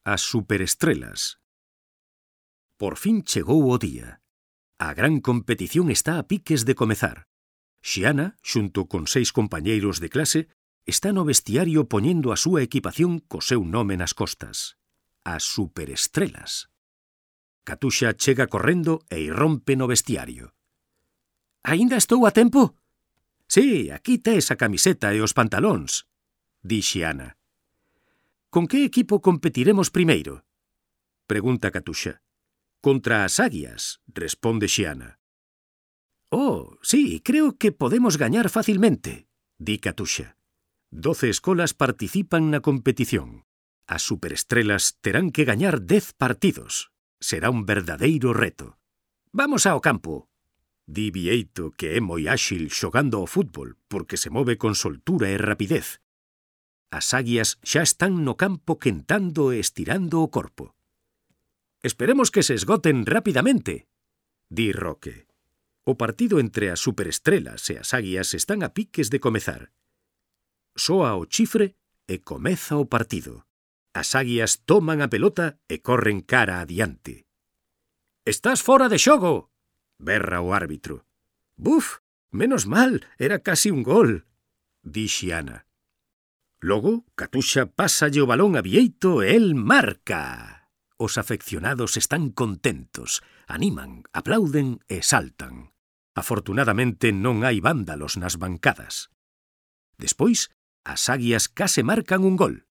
As superestrelas. Por fin chegou o día. A gran competición está a piques de comezar. Xiana, xunto con 6 compañeiros de clase, está no vestiario poñendo a súa equipación co seu nome nas costas. As superestrelas. Catuxa chega correndo e irrompe no vestiario. «Aínda estou a tempo?» «Sí, aquí tes a camiseta e os pantalóns», di Xiana. «Con que equipo competiremos primeiro?» pregunta Catuxa. «Contra as águias», responde Xiana. «Oh, sí, creo que podemos gañar facilmente», di Catuxa. 12 escolas participan na competición. As superestrelas terán que gañar 10 partidos. Será un verdadeiro reto. «Vamos ao campo», di Bieito, que é moi áxil xogando ao fútbol porque se move con soltura e rapidez. As águias xa están no campo quentando e estirando o corpo. «Esperemos que se esgoten rapidamente», di Roque. O partido entre as superestrelas e as águias están a piques de comezar. Soa o chifre e comeza o partido. As águias toman a pelota e corren cara adiante. «Estás fora de xogo!», berra o árbitro. «Buf, menos mal, era casi un gol», di Xiana. Logo, Catuxa pásalle o balón a Bieito e el marca. Os afeccionados están contentos, animan, aplauden e saltan. Afortunadamente non hai vándalos nas bancadas. Despois, as águias case marcan un gol.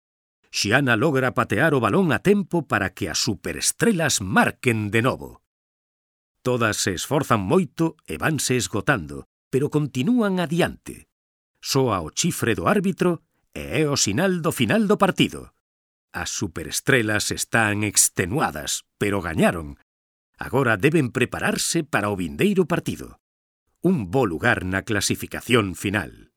Xiana logra patear o balón a tempo para que as superestrelas marquen de novo. Todas se esforzan moito e vanse esgotando, pero continúan adiante. Soa o chifre do árbitro e é o sinal do final do partido. As superestrelas están extenuadas, pero gañaron. Agora deben prepararse para o vindeiro partido. Un bo lugar na clasificación final.